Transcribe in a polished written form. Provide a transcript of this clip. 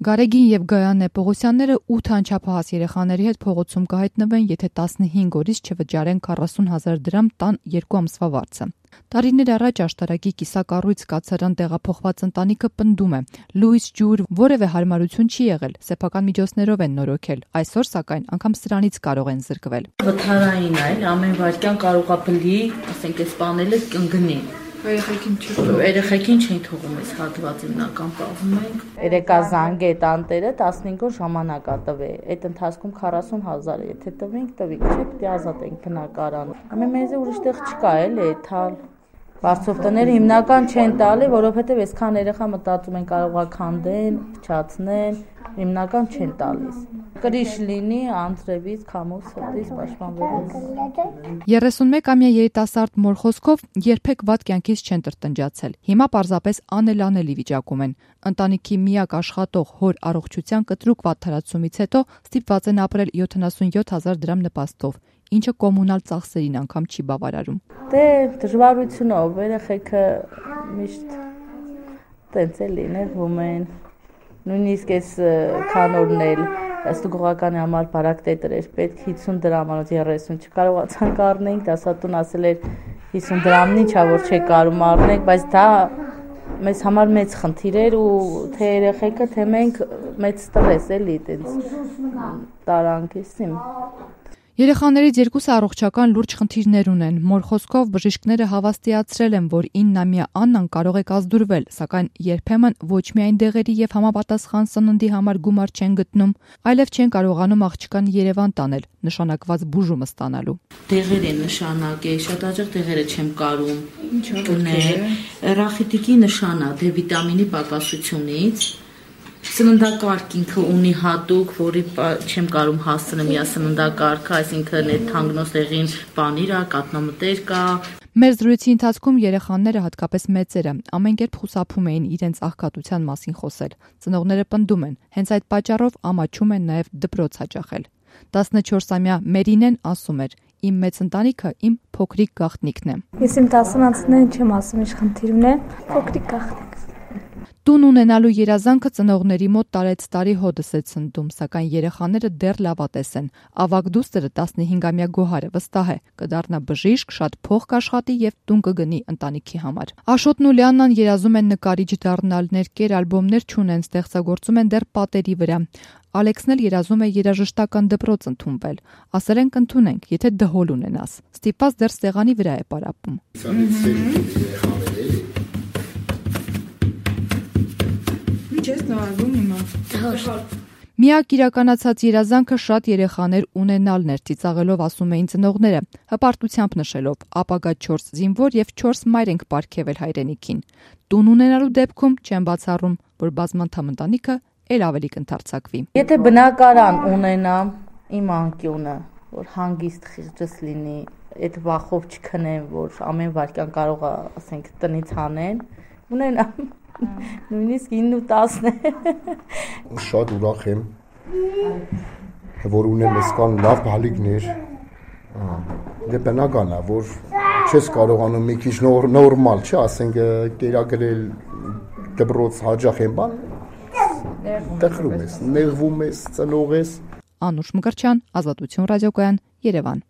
Գարեգին եւ Գայանե Պողոսյանները 8 անչափահաս երեխաների հետ փողոցում կհայտնվեն, եթե 15 օրից չվճարեն 40,000 դրամ տան 2 ամսվա վարձը։ Տարիներ առաջ աշտարակի կիսակառույց կացարան տեղափոխված ընտանիքը պնդում է՝ լույս, ջուր, որևէ հարմարություն չի եղել, սեփական միջոցներով են նորոգել։ Այսօր, սակայն, անգամ սրանից կարող են զրկվել։ Վթարային է, ամեն վայրկյան կարող է բլի, ասենք, այս բաները կընկնի։ Երեխեքին չեն թողում այս հատվածը հիմնական պահում ենք։ Երեկա զանգ է տանտերը 15 օր ժամանակ է տվել։ Այդ ընթացքում 40,000 եթե տվինք, չէ՞ պետք է ազատենք բնակարանը։ Ամեն մեզ ուրիշտեղ չկա էլի, թալ։ Բարձով տները հիմնական չեն տալի, որովհետև այսքան երեխա մտածում են կարող է քանդեն, փչացնեն, հիմնական չեն տալիս։ Կրիշ լինի, անձրևից, քամուց, սրտից պաշտպանվելու։ 31-ամյա երիտասարդ մոր խոսքով երբեք վատ կյանքից չեն տրտնջացել։ Հիմա պարզապես անելանելի վիճակում են։ Ընտանիքի միակ աշխատող հոր առողջության կտրուկ վատթարացումից հետո ստիպված են ապրել 77,000 դրամ նպաստով, ինչը կոմունալ ծախսերին անգամ չի բավարարում։ Դե դժվարությունով երեխեքը միշտ տենց է լինում են։ Նույնիսկ այս քանորն էլ ստուգողականի համար բարակ տետր էր պետք 50 դրամանոց 30 չկարողացանք առնենք, դասատուն ասել էր 50 դրամն ինչա որ չէ կարում առնենք, բայց դա մեզ համար մեծ խնդիր էր ու թե երեխեքը, թե մենք մեծ ստրես էլի տենց տարանքիսիմ։ Երեխաներից երկուսը առողջական լուրջ խնդիրներ ունեն։ Մոր խոսքով բժիշկները հավաստիացրել են, որ 9-ամյա Աննան կարող է կազդուրվել, սակայն երբեմն ոչ միայն դեղերի եւ համապատասխան սննդի համար գումար չեն գտնում, այլև չեն կարողանում աղջկան Երևան տանել, նշանակված բուժումը ստանալու։ Դեղեր է նշանակ է, շատ հաճախ դեղերը չեմ կարում գնել։ Ռախիտիկի նշանա դե վիտամինի պակասությունից։ Սննդակարգ ինքը ունի հատուկ, որի չեմ կարում հասցնեմ իա սննդակարգը, այսինքն այդ թանգնոստեղին պանիր է, կատնամտեր կա։ Մեր զրույցի ընթացքում երեխաները, հատկապես մեծերը, ամեն կերպ խուսափում էին իրենց աղքատության մասին խոսել։ Ծնողները պնդում են, հենց այդ պատճառով ամաչում են նաև դպրոց հաճախել։ 14-ամյա Մերինեն ասում էր. «Իմ մեծ ընտանիքը իմ փոքրիկ գաղտնիքն է»։ Ես իմ 10-ամյացներին չեմ ասում, ինչ խնդիր ունեն, փոքրիկ գաղտնիք։ Տուն ունենալու երազանքը ծնողների մոտ տարեցտարի հոդս է ցնդում, սակայն երեխաները դեռ լավատես են։ Ավագ դուստրը 15-ամյա Գոհարը վստահ է, կդառնա բժիշկ, շատ փող կաշխատի եւ տուն կգնի ընտանիքի համար։ Աշոտն ու Լիաննան երազում են նկարիչ դառնալ, ներկեր ալբոմներ չունեն, ստեղծագործում են դեռ պատերի վրա։ Ալեքսն էլ երազում է երաժշտական դպրոց ընդունվել։ Ասել են կընդունենք, եթե դհոլ ունենաս։ Ստիպված դեռ սեղանի վրա է պարապում։ Միակ իրականացած երազանքը շատ երեխաներ ունենալն էր, ծիծաղելով ասում էին ծնողները, հպարտությամբ նշելով, ապագա 4 զինվոր եւ 4 մայր ենք պարգևել հայրենիքին։ Տուն ունենալու դեպքում չեն բացառում, որ բազմանդամ ընտանիքը էլ ավելի կընթարցակվի։ Եթե բնակարան ունենամ, իմ անկյունը, որ հանգիստ խիղճս լինի, այդ վախով չքնեմ, որ ամեն վայրկյան կարող է, ասենք, տնից հանեն, ունենամ նույնիսկ 9 ու 10 Շատ ուրախ եմ, որ ունեմ այսքան լավ բալիկներ։ Դե բնական է, որ չես կարողանում մի քիչ նորմալ, չէ, ասենք կերակրել դպրոց հաճախ են բան, տխրում ես, նեղվում ես, ծնող ես։ Անուշ Մկրտչյան, Ազատություն ռադիոկայան, Երևան։